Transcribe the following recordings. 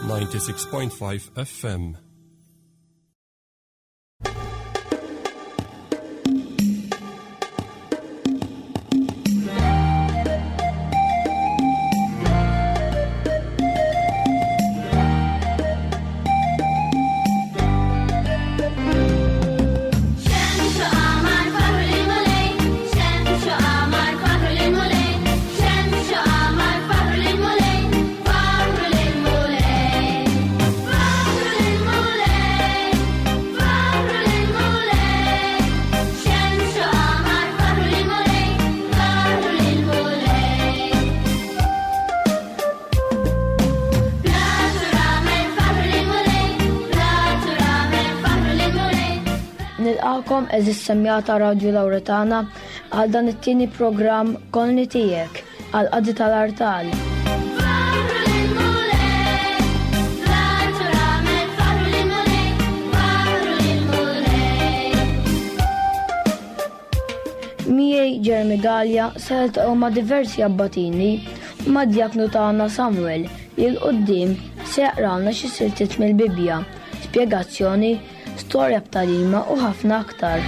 96.5 FM. Nilqakom eżis semjata Radju Lawretana għal dan it-tieni programm Konni Tiegħek għal qadi tal-artal. Miegħi Jeremy Gallia se niltaqgħu ma' diversi abbatini u ma' djaknu tagħna Samuel li 'l quddiem se jaqralna xi siltiet mill-Bibbja, spjegazzjoni, storja b'tagħlima u ħafna aktar.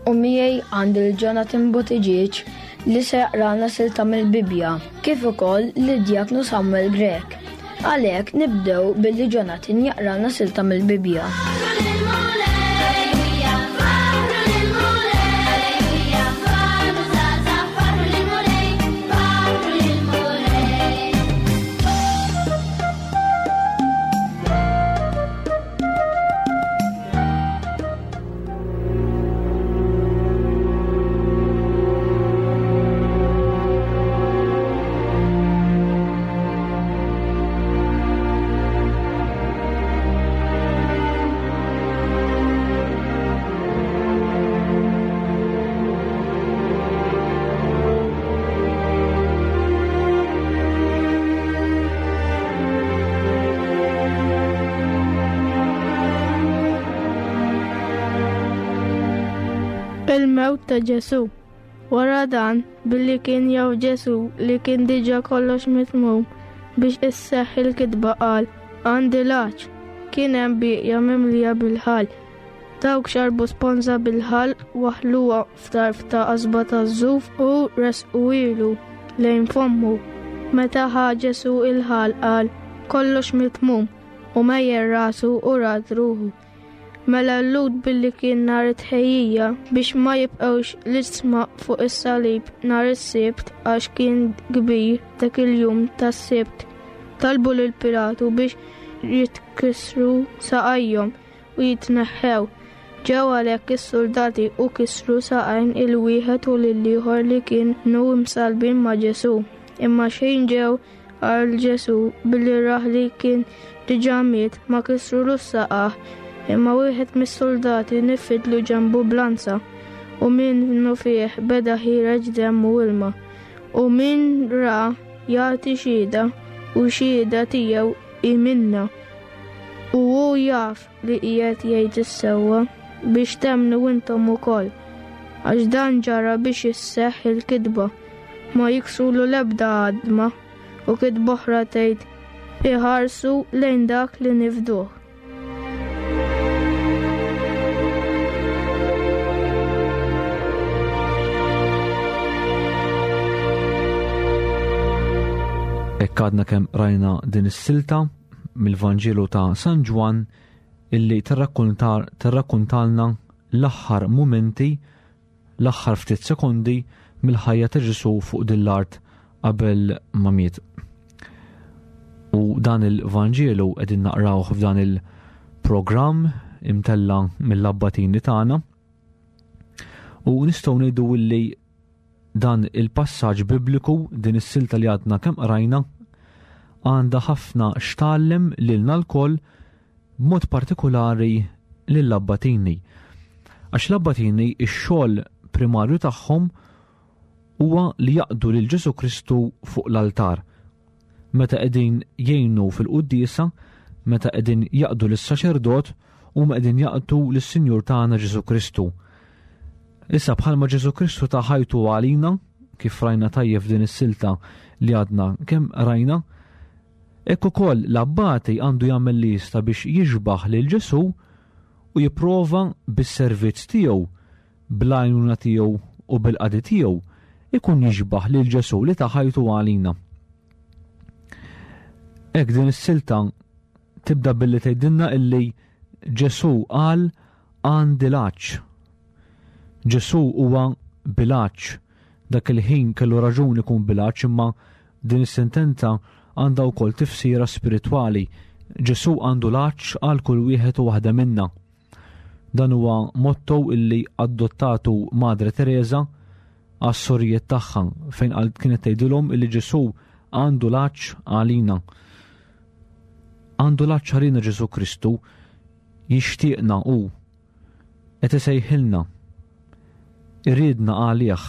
U miegħi għandi l-Jonathan Buttigieg li se jaqralna silta mill-Bibbja, kif ukoll lid-Djaknu Samuel Grech. Għalhekk nibdew billi Jonathan jaqralna silta mill-Bibbja. Il-mewt ta' Ġesù. Wara dan, billi kien jaf Ġesù li kien diġà kollox mitmum biex isseħħ il-kitba qal, Għandi l-għatx. Kien hemm bieqja mimlija bil-ħall. Dawk xarbu sponża bil-ħall waħħluha f'tarf ta' qasba taż-żuf u resquhielu lejn fommu. Meta ħa Ġesù il-ħall qal, Kollox mitmum, u mejjel rasu u rad ruħu. Mela l-Lhud billi kien nhar it-tħejjija biex ma jibqgħux l-isma fuq is-salib nhar is-Sibt għax kien kbir dak il-jum tas-Sibt, talbu lil Pilatu biex jitkissru saqajhom u jitneħħew. Ġew għalhekk is-suldati u kisru saqajn il-wieħed u lill-ieħor li kienu msallbin ma' Ġesù. Imma xejn ġew Għal Ġesù, billi rah li kien diġà miet, ma kisrulux saqajh, imma wieħed mis-suldati nifidlu ġenbu b'lanza, u minnufih beda ħiereġ demm u ilma. U min ra jagħti xhieda, u x-xhieda tiegħu hi minnha. U hu jaf li qiegħed jgħid is-sewwa, biex temmnu intom ukoll. Għax dan ġara biex isseħħ il-kitba, ma jiksrulu l-ebda għadma, u kitba oħra tgħid, iħarsu lejn dak li nifduh. Hekk għadna kemm rajna din is-silta mill-Vanġelu ta' San Ġwann illi tirrakkuntalna l-aħħar mumenti, l-aħħar ftit sekondi mill-ħajja ta' Ġesù fuq din l-art qabel ma miet. U dan il-Vanġelu qegħdin naqrawh f'dan il-programm imtella mill-abbatini tagħna. U nistgħu ngħidu illi Dan il-passaġġ Bibliku, din is-silta li għadna kemm qrajna, għandha ħafna x'tgħallem lilna lkoll b'mod partikulari lill-abbatini. Għax l-abbatini x-xogħol primarju tagħhom huwa li jaqdu lil Ġesu Kristu fuq l-altar. Meta qegħdin jgħinu fil-quddiesa, meta qegħdin jaqdu lis-saċerdot. huma qegħdin jaqtu lis-Sinjur tagħna Ġesù Kristu. Issa bħalma Ġesù Kristu ta ħajtu għalina, kif rajna tajjeb f'din is-silta li għadna kemm rajna, hekk ukoll l-abbati għandu jagħmel li jista' biex jixbaħ lil Ġesù u jipprova bis-servizz tiegħu, bl-għajnuna tiegħu u bil-qadi tiegħu, ikun jixbaħ lil Ġesù li ta ħajtu għalina. Hekk din is-silta tibda billi tgħidilna illi Ġesù qal għandi l-għatx. Ġesù huwa bil-għatx. Dak il-ħin kellu raġun ikun bil-għatx imma din is-sentenza għandha wkoll tifsira spiritwali. Ġesù għandu l-għatx għal kull wieħed u waħda minna. Dan huwa motto illi adottatu Madre Teresa għas-sorijiet tagħha fejn qal kienet tgħidilhom illi Ġesù għandu l-għatx għalina. Għandu l-għatx għalina Ġesù Kristu jixtieqna hu qed isejħilna. Iridna għalih.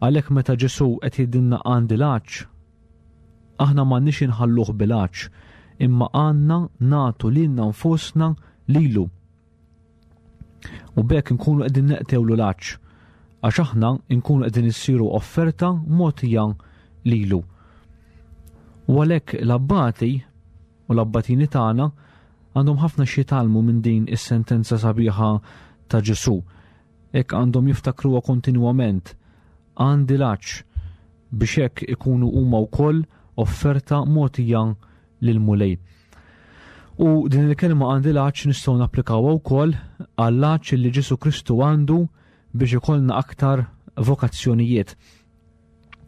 Għalhekk meta Ġesù qed jgħidilna għandi l-għatx, aħna m'għandniex inħalluh bil-għatx, imma għandna nagħtu lilna nfusna lilu. U b'hekk inkunu qegħdin neqtewlu l-għatx, għax aħna nkunu qegħdin issiru offerta mogħtija lilu. U għalhekk l-abbati u l-abbatini tagħna għandhom ħafna x'jitgħallmu minn din is-sentenza sabiħa ta' Ġesù. Hekk għandhom jiftakruha kontinwament. Għandi l-għatx biex hekk ikunu huma wkoll offerta mogħtija lill-Mulej. U din il-kelma għandi l-għatx nistgħu napplikawha wkoll għall-għatx li Ġesù Kristu għandu biex ikollna aktar vokazzjonijiet.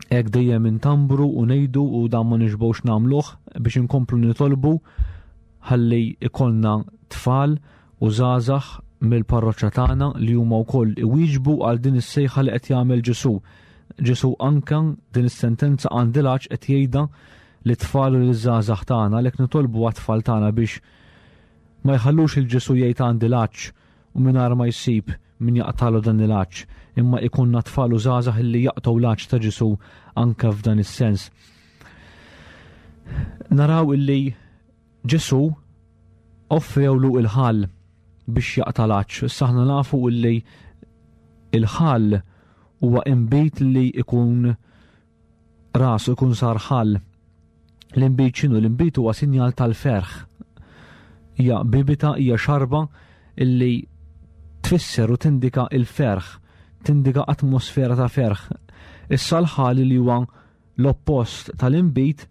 Hekk dejjem intambru u ngħidu u dan ma nixbgħux nagħmluh biex inkomplu nitolbu ħalli ikollna tfal u żgħażagħ mill-parroċċa tagħna li huma wkoll iwieġbu għal din is-sejħa li qed jagħmel Ġesù. Ġesù anke din is-sentenza għandilha qed jgħidha lit-tfal u liż-żgħażagħ tagħna għalhekk nitolbu għat-tfal tagħna biex ma jħallux il Ġesù jgħid għandi l-għatx u mingħajr ma jsib min jaqtalu dan il-għatx, imma ikunna tfal u żgħażagħ illi jaqtgħu l-għatx ta' Ġesù anke f'dan is-sens. Naraw illi Ġesù offrewlu il-ħall biex jaqta' l-għatx. Issa aħna nafu illi il-ħall huwa inbid li ikun rasu jkun sar ħall. L-inbid x'inhu? L-inbid huwa sinjal tal-ferħ. Hija bibita, hija xarba illi tfisser u tindika il-ferħ, tindika atmosfera ta' ferħ. Issa l-ħal li huwa l-oppost tal-inbid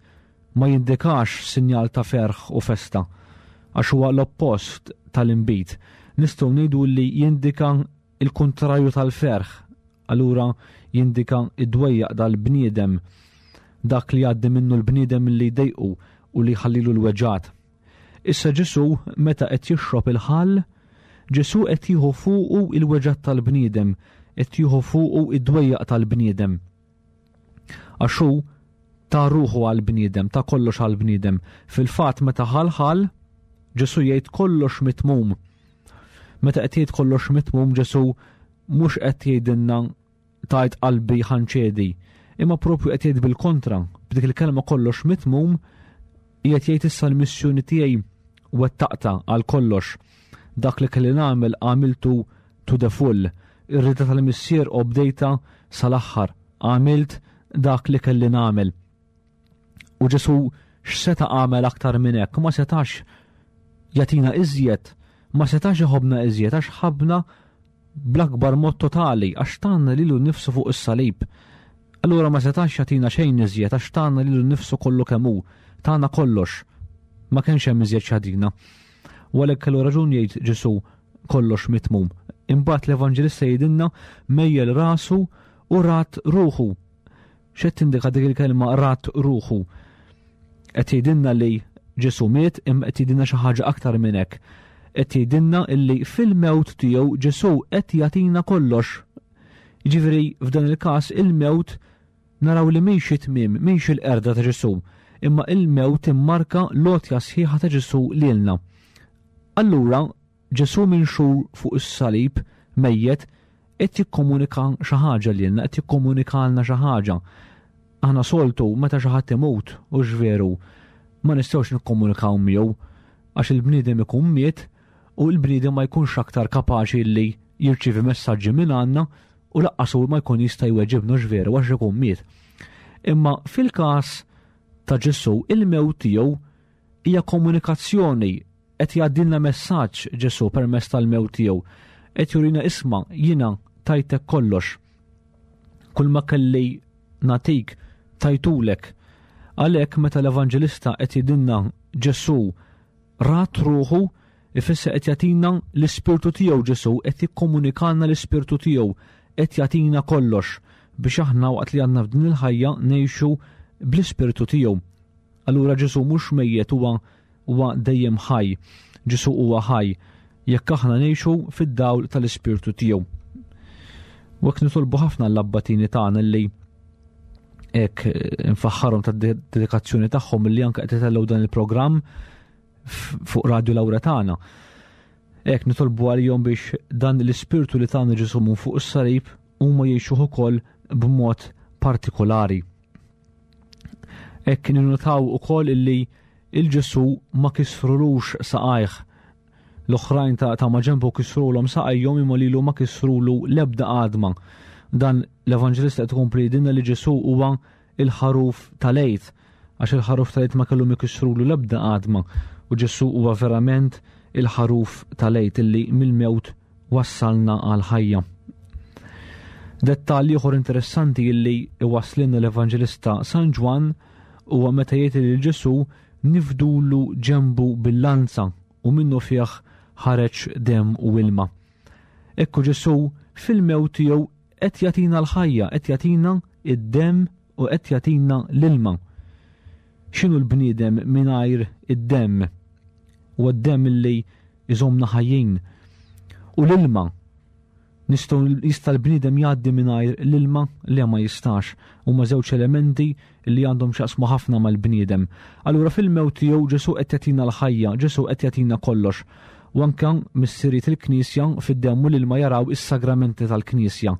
ma jindikax sinjal ta' ferħ u festa, għax huwa l-oppost tal-inbid. Nistgħu ngħidu li jindika il-kuntrarju tal-ferħ, allura jindika id-dwejjaq dal-bniedem, dak li jgħaddi minnu l-bniedem li jdejqu u li jħallilu l-weġgħat. Issa Ġesù meta qed jixrob il-ħall, Ġesù qed jieħu fuqu il-weġgħat tal-bniedem, qed jieħu fuqu id-dwejjaq tal-bniedem. Għax hu ta ruħu għall-bniedem, ta kollox għall-bniedem. Fil-fatt meta ħalħal, Ġesù jgħid kollox mitmum. Meta qed jgħid kollox mitmum Ġesù mhux qed jgħidilna tajt qalbi ħanċedi, imma propju qed jgħid bil-kontra, b'dik il-kelma kollox mitmum qiegħed jgħid issa l-missjoni tiegħi wettaqta għal kollox. Dak li kelli nagħmel għamiltu to the full. Ir-rida tal-Missier obdejta sal-aħħar. Għamilt dak li kelli nagħmel. U Ġesu x'seta' għamel aktar minn hekk? Ma setax jagħtina iżjed, ma setax iħobna iżjed għax ħabna bl-akbar mod totali għax tagħna lilu nnifsu fuq is-salib. Allura ma setax jagħtina xejn iżjed għax tagħna lilu nnifsu kollu kemm hu, tagħna kollox. Ma kienx hemm iżjed x'jagħtina. U għalhekk kellu raġun jgħid Ġesu kollox mitmum. Imbagħad l-Evanġelista jgħidilna mejjel rasu u rat ruħu. X'qed tindika dik il-kelma rat ruħu? Qed jgħidilna li Ġesu miet imma qed jgħidilna xi ħaġa aktar minn hekk. Qed jgħidilna li fil-mewt tiegħu Ġesu qed jagħtina kollox. Jiġifieri f'dan il-każ il-mewt naraw li mhix it-tmiem, mhix il-qerda ta' Ġesu, imma il-mewt timmarka l-għotja sħiħa ta' Ġesu lilna. Allura Ġesù minxur fuq is-salib mejjet qed jikkomunika xi ħaġa lilna, qed jikkomunikalna xi ħaġa. Aħna soltu meta xi ħadd imut, hux veru, ma nistgħux nikkomunikaw miegħu għax il-bniedem ikun miet u l-bniedem ma jkunx aktar kapaċi li jirċievi messaġġi minn għandna u laqqas hu ma jkun jista' jweġibna x'veru għax ikun miet. Imma fil-każ ta' Ġesù il-mewt tiegħu hija komunikazzjoni qed jgħaddilna messaġġ Ġesù permezz tal-mewt tiegħu. Qed jurina isma' jiena tajtek kollox. Kull ma kelli nagħtik tajtulek. Għalhekk meta l-Evanġelista qed jgħidilna Ġesù rat ruħu ifisser qed jagħtina l-ispirtu tiegħu Ġesù qed jikkomunikalna l-ispirtu tiegħu qed jagħtina kollox biex aħna waqt li għandna f'din il-ħajja ngħixu bl-ispirtu tiegħu. Allura Ġesù mhux mejjet huwa huwa dejjem ħaj. Ġesù huwa ħaj jekk aħna ngħixu fid-dawl tal-ispirtu tiegħu. U hekk nitolbu ħafna l-abbatini tagħna li hekk eh, nfaħħarhom tad-dedikazzjoni tagħhom li anke qed itellgħu dan il-programm fuq Radio Laura tagħna. Hekk nitolbu għalihom biex dan l-ispirtu li tagħna Ġesù minn fuq is-salib huma jgħixuh ukoll b'mod partikolari. Hekk ninnotaw ukoll illi il-Ġesù ma kisrulux saqajh. L-oħrajn ta' ta' maġenbu kisrulhom saqajhom imma lilu ma kisrulu l-ebda għadma. Dan l-Evanġelista qed ikompli jgħidilna li Ġesù huwa il-ħaruf tal-Għid, għax il-ħaruf tal-Għid ma kellhom ikissrulu l-ebda għadma u Ġesù huwa verament il-ħaruf tal-Għid illi mill-mewt wassalna għal ħajja. Dettall ieħor interessanti illi iwasslilna l-Evanġelista San Ġwann huwa meta jgħid li Ġesù nifdulu ġenbu bil-lanza u minnu fih ħareġ demm u ilma. Ekku Ġesù fil-mewt tiegħu qed jagħtina l-ħajja, qed jagħtina id-demm u qed jagħtina l-ilma. X'inhu l-bniedem mingħajr id-demm? Huwa d-demm illi iżommna ħajjin. U l-ilma nistgħu jista' l-bniedem jgħaddi mingħajr l-ilma li ma jistax. Huma żewġ elementi li għandhom x'jaqsmu ħafna mal-bniedem. Allura fil-mewt tiegħu Ġesù qed jagħtina l-ħajja, Ġesù qed jagħtina kollox. U anke missirijiet il-Knisja fid-demm u l-ilma jaraw is-sagramenti tal-Knisja,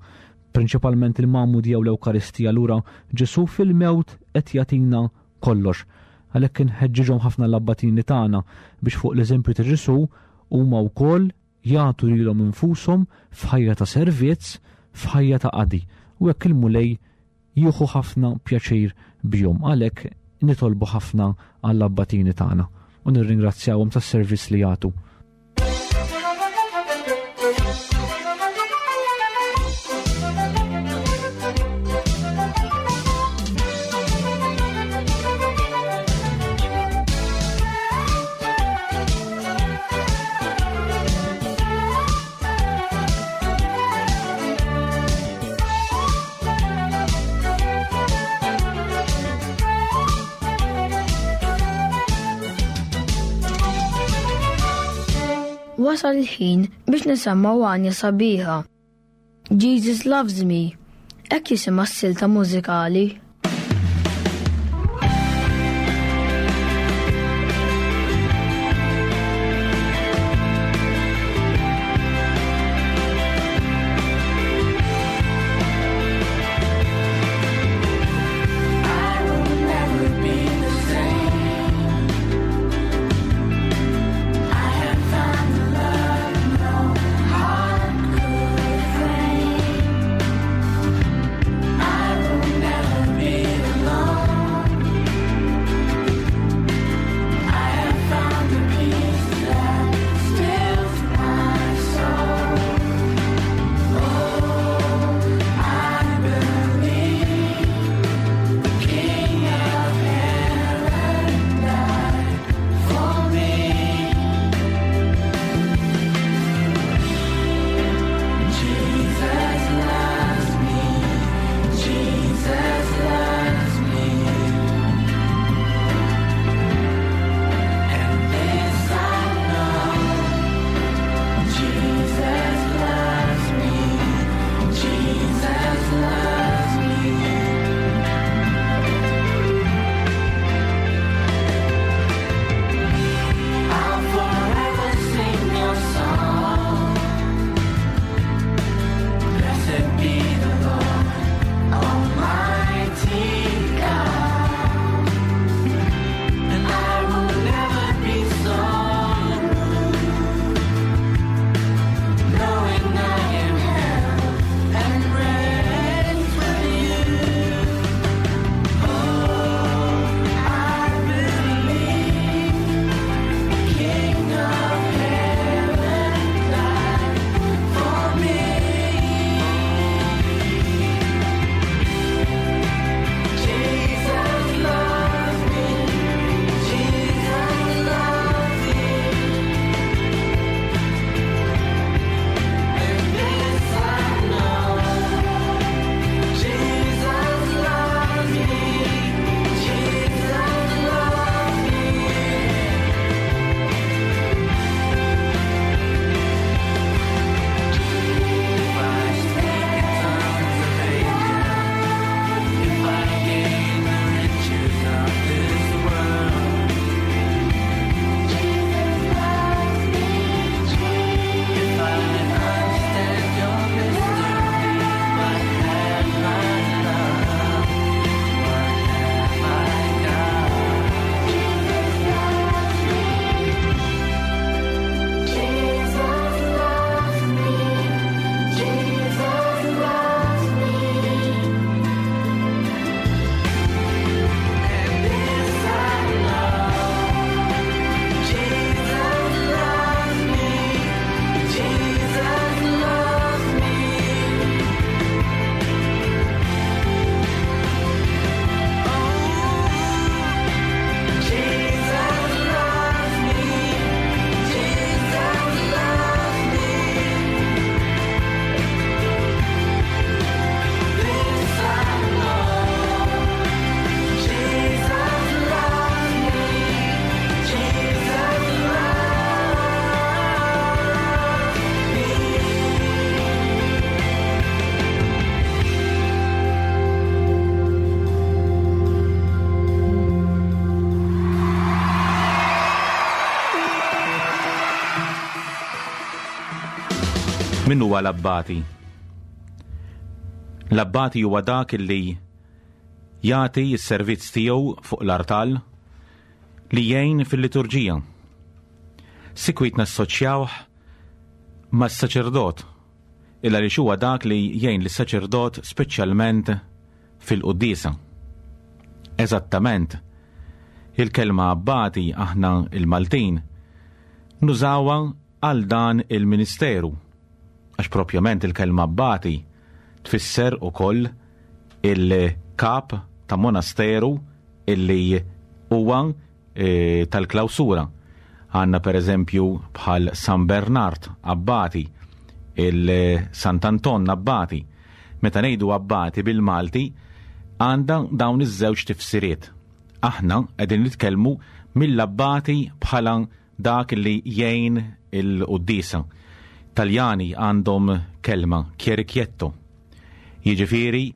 prinċipalment il-Magħmudija u l-Ewkaristija. Allura Ġesù fil-mewt qed jagħtina kollox. Għalhekk inħeġġiġhom ħafna l-abbatini tagħna biex fuq l-eżempju ta' Ġesù huma wkoll jagħtu lilhom infushom f'ħajja ta' servizz, f'ħajja ta' qadi. U hekk il-Mulej jieħu ħafna pjaċir bihom. Għalhekk nitolbu ħafna għall-abbatini tagħna u nirringrazzjawhom tas-servizz li jagħtu. Wasal il-ħin biex nisemgħu għanja sabiħa. Jesus Loves Me, hekk jisimha s-silta mużikali. Min huwa l-abbati? L-abbati huwa dak li jagħti s-servizz tiegħu fuq l-artal li jgħin fil-liturġija. Sikwit nassoċjawh mas-saċerdot, illa li huwa dak li jgħin lis-saċerdot speċjalment fil-quddiesa. Eżattament, il-kelma abbati aħna il-Maltin nużawha għal dan il-ministeru, għax propjament il-kelma abbati tfisser ukoll il-kap ta' monasteru illi huwa e, tal-klawsura. Għanna per eżempju bħal San Bernard Abbati, il-Sant'Anton Abbati. Meta ngħidu Abbati bil-Malti, għandha dawn iż-żewġ tifsiriet. Aħna qegħdin nitkellmu mill-abbati bħala dak li jgħin il-quddiesa. Taljani għandhom kelma chierichetto. Jiġifieri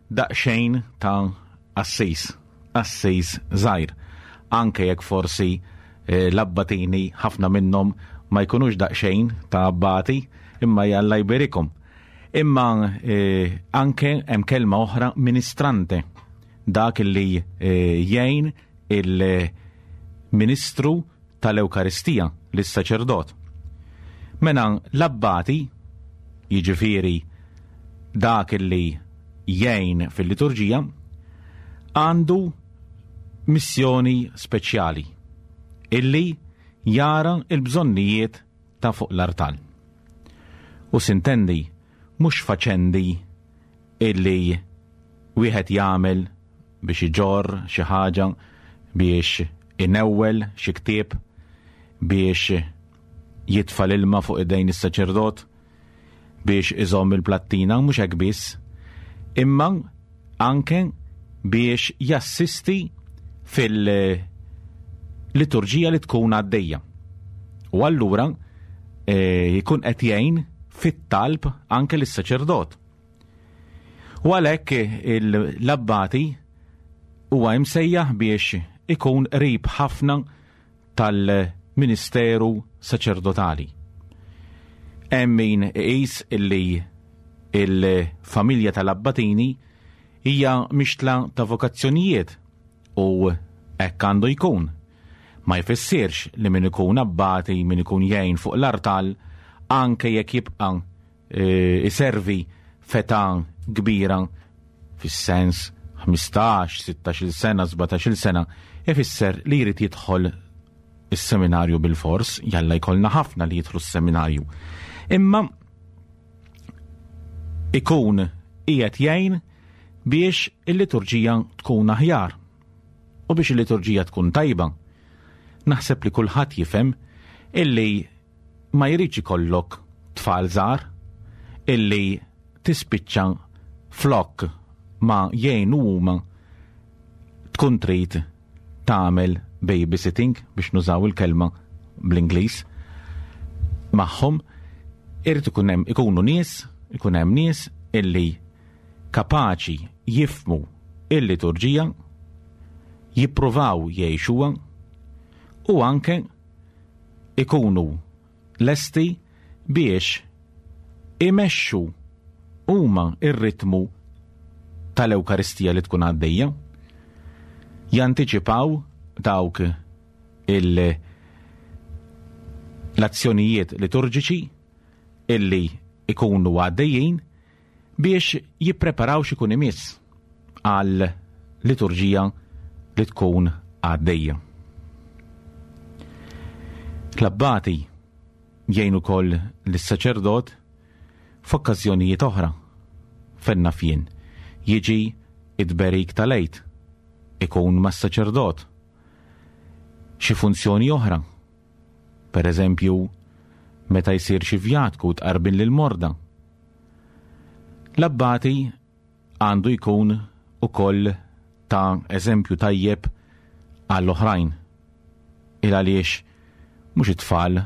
daqsxejn ta' qassis, qassis żgħir. Anke jekk forsi eh, l-abbatini ħafna minnhom ma jkunux daqsxejn ta' abbati, imma jalla jberikom. Imma eh, anke hemm kelma oħra ministrante, dak li eh, jgħin il-ministru tal-Ewkaristija lis-saċerdot. Mela l-abbati, jiġifieri dak li jgħin fil-liturġija, għandu missjoni speċjali illi jara il-bżonnijiet ta' fuq l-artal. U sintendi mhux faċendi illi wieħed jagħmel biex iġorr xi ħaġa, biex inewwel xi ktieb, biex jitfa' l-ilma fuq idejn is-saċerdot, biex iżomm il-plattina, mhux hekk biss, imma anke biex jassisti fil-liturġija li tkun għaddejja. U allura eh, jkun qed jgħin fit-talb anke lis-saċerdot. U għalhekk l-abbati huwa imsejjaħ biex ikun qrib ħafna tal-ministeru saċerdotali. Hemm min iqis illi il-familja tal-abbatini hija mixtla ta' vokazzjonijiet u hekk għandu jkun. Ma jfissirx li min ikun abbati, min ikun jgħin fuq l-artal, anke jekk jibqa' E, iservi f'età kbira fis-sens 15, 16 sena, 17 sena, ifisser li jrid jidħol is-seminarju bil-fors, jalla jkollna ħafna li jidħlu s-seminarju. Imma ikun qiegħed jgħin biex il-liturġija tkun aħjar u biex il-liturġija tkun tajba. Naħseb li kulħadd jifhem illi ma jridx ikollok tfal żgħar illi tispiċċa flok ma jgħinu huma tkun trid tagħmel babysitting biex nużaw il-kelma bl-Ingliż magħhom irid ikun hemm ikunu nies, ikun hemm nies illi kapaċi jifmu il-liturġija, jippruvaw jgħixuha u anke ikunu lesti biex imexxu huma r-ritmu tal-Ewkaristija li tkun għaddejja, jantiċipaw dawk il l-azzjonijiet liturġiċi illi ikunu għaddejjin biex jippreparaw x'ikun imiss għal liturġija li tkun għaddejja. L-abbati jgħin ukoll lis-saċerdot f'okkażjonijiet oħra. Fenna fjen jiġi id-berik tal-għid ikun mas-saċerdot. Xi funzjoni oħra, per eżempju, meta jsir xi vjatku tqarbin lil morda. L-abbati għandu jkun ukoll ta' eżempju tajjeb għall-oħrajn. Il għaliex mhux it-tfal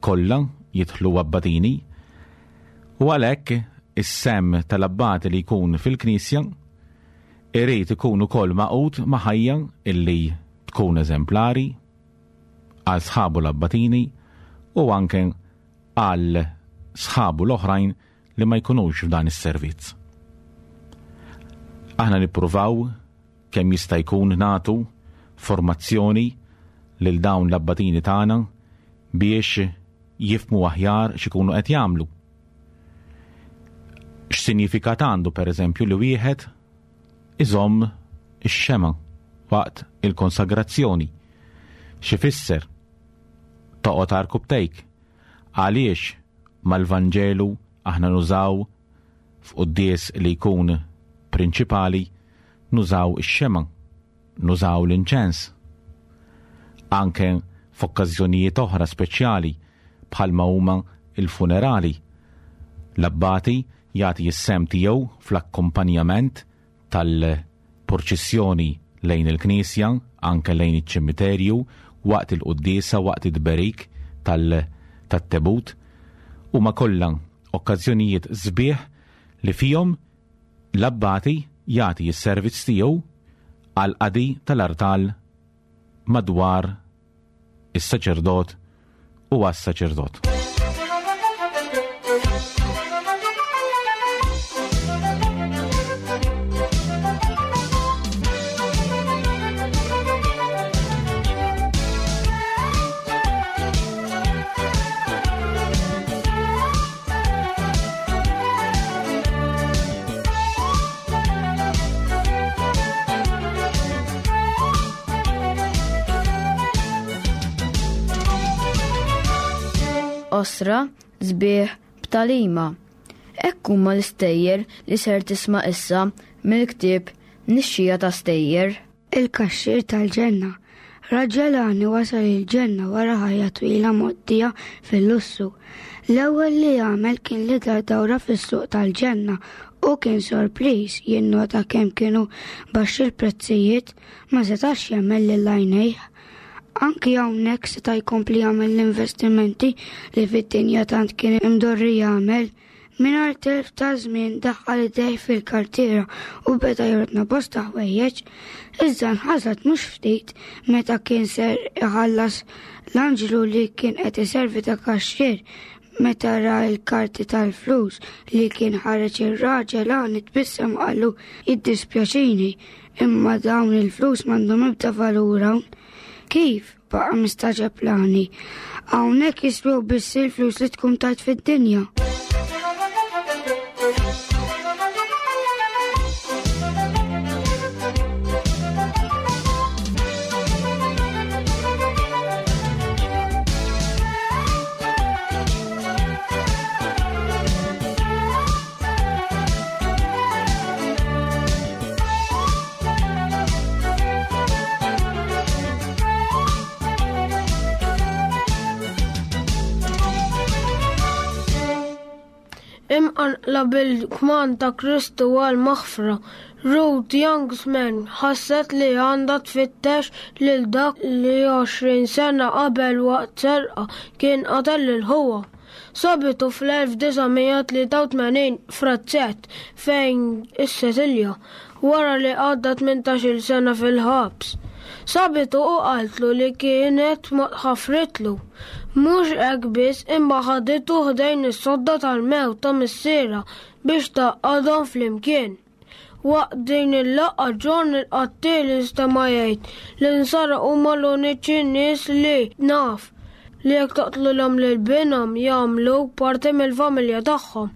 kollha jidħlu abbatini u għalhekk is-sehem tal-abbati li jkun fil-Knisja irid ikun ukoll magħqud ma' ħajja illi tkun eżemplari għal sħabu l-abbatini u anke għal sħabu l-oħrajn li ma jkunux f'dan is-servizz. Aħna nippruvaw kemm jista' jkun nagħtu formazzjoni lil dawn l-abbatini tagħna biex jifmu aħjar x'ikunu qed jagħmlu. X'sinjifikat għandu pereżempju li wieħed iżomm ix-xema waqt il-konsagrazzjoni? X'ifisser toqgħod għarkupptejk? Għaliex mal-Vanġelu aħna nużaw f'quddies li jkun prinċipali nużaw ix-xema, nużaw l-inċens. Anke f'okkażjonijiet oħra speċjali bħalma huma l-funerali. L-abbati jagħti s-sehem tiegħu fl-akkumpanjament tal-purċissjoni lejn il-knisja, anke lejn iċ-ċimiterju, waqt il-quddiesa, waqt it-tberik tat-tebut. Huma kollha okkażjonijiet sbieħ li fihom l-abbati jagħti s-servizz tiegħu għall-qadi tal-artal madwar is-saċerdot u għas-saċerdot. Osra, sbieħ, b'talima. Hekk huma l-istejjer li ser tisma' issa mill-ktieb Nixxija ta' Stejjer. Il-kaxxier tal-ġenna. Raġel għani wasal il-ġenna wara ħajja twila mgħoddija fil-lussu. L-ewwel li għamel kien li dar dawra fis-suq tal-ġenna u kien sorpriż jinnota kemm kienu baxxi l-prezzijiet, ma setax jemmen lil għajnejh. Anki hawnhekk seta' jkompli jagħmel l-investimenti li fid-dinja tant kien imdorri jagħmel. Mingħajr telf ta' żmien daħħal idejh fil-kartiera u beda jordna bosta ħwejjeġ. Iżda nħasad mhux ftit meta kien ser iħallas l-anġlu li kien qed iservi ta' kaxxier meta ra l-karti tal-flus li kien ħareġ ir-raġel għan tbissem qallu jiddispjaċini imma dawn il-flus m'għandhom ebda valur hawn. Kif? Baqa' mistagħġeb l-għani. Hawnhekk jiswew biss il-flus li tkun tajt fid-dinja. Imqanqla bil-kmand ta' Kristu għal maħfra, Ruth Youngsman ħasset li għandha tfittex lil dak li 20 sena qabel waqt serqa kien qatel lil ħuha. Sabitu fl-1983 f'razzett fejn issetilja wara li għadda 18-il sena fil-ħabs. Sabitu u qaltlu li kienet ħafritlu. Mhux hekk biss imma ħaditu ħdejn is-sodda tal-mewt ta' missierha biex tgħaqqadhom flimkien. Waqt din il-laqgħa John il-qattiel instema' jgħid li nsara huma l-uniċi nies li naf li jekk toqtlulhom lil binhom jagħmluk parti mill-familja tagħhom.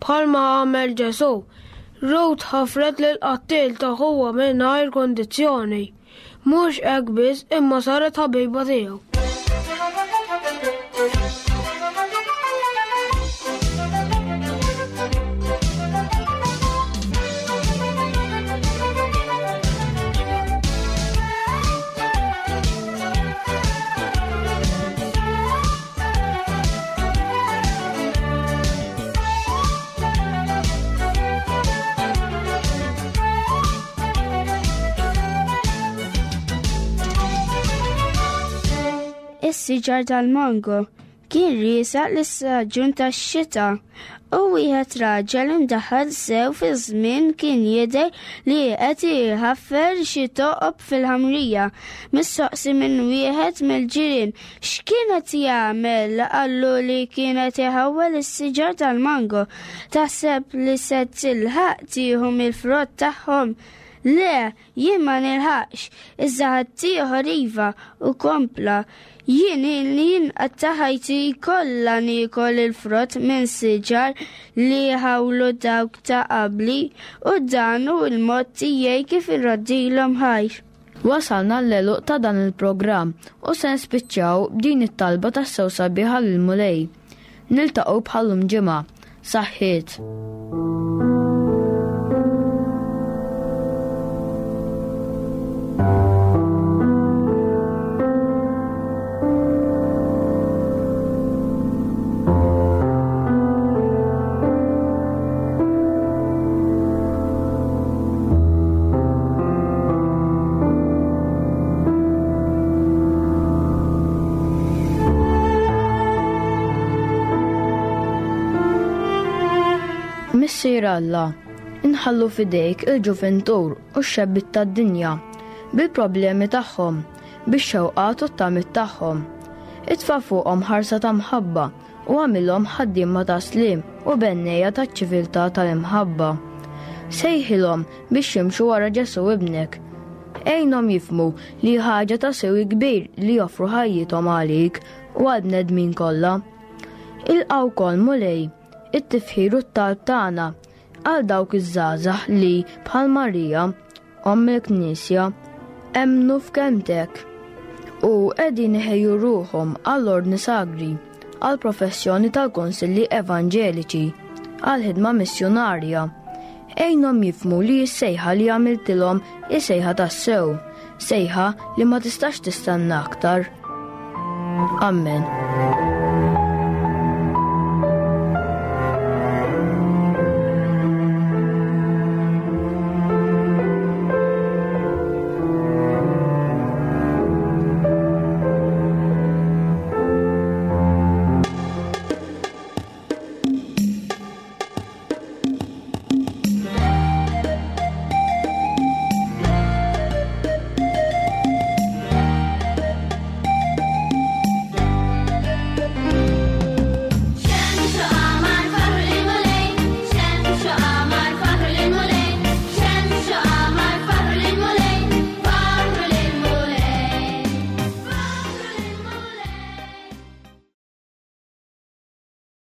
Bħalma għamel Ġesù, Ruth ħafret lill-qattiel ta' ħuha mingħajr kundizzjoni. Mhux hekk biss imma saret ħabiba tiegħu. Is-siġar tal-mango. Kien riesaq l-istaġun tax-xita u wieħed raġel imdaħħal sew fiż-żmien kien jidher li qed iħaffer xi toqob fil-ħamrija. Mistoqsi minn wieħed mill-ġirien x'kien qed jagħmel qallu li kien qed iħawwel is-siġar tal-mango. Taħseb li se tilħaq tieħu mill-frott tagħhom? Le, Jien ma nilħaqx, iżda ħaddieħor iva, u kompla, Jien ilni nqatta' ħajti kollha niekol il-frott minn siġar li ħawlu dawk ta' qabli, u dan hu l-mod tiegħi kif irroddilhom ħajr. Wasalna l-għeluq ta' dan il-programm u se nispiċċaw b'din it-talba tassew sabiħa lill-Mulej. Niltaqgħu bħal-lum ġimgħa. Saħħiet! Missier Alla, inħallu f'idejk il-ġuventur u x-xebbiet tad-dinja, bil-problemi tagħhom, bix-xewqat u t-tamiet tagħhom. Itfa' fuqhom ħarsa ta' mħabba u agħmilhom ħaddiema ta' sliem u bennejja taċ-ċiviltà tal-imħabba. Sejħilhom biex jimxu wara Ġesù Ibnek. Għinhom jifhmu li hi ħaġa ta' siwi kbir li joffru ħajjithom għalik u għall-bnedmin kollha. Ilqa' wkoll, Mulej, it-tifħir u t-talb tagħna għal dawk iż-żgħażagħ li, bħal Marija, Omm il-Knisja, emmnu f'kelmtek u qegħdin iħejju ruħhom għall-ordni sagri, għall-professjoni tal-konsilli evanġeliċi, għall-ħidma missjunarja. Għinhom jifhmu li s-sejħa li għamiltilhom hi sejħa tassew, sejħa li ma tistax tistenna aktar. Amen.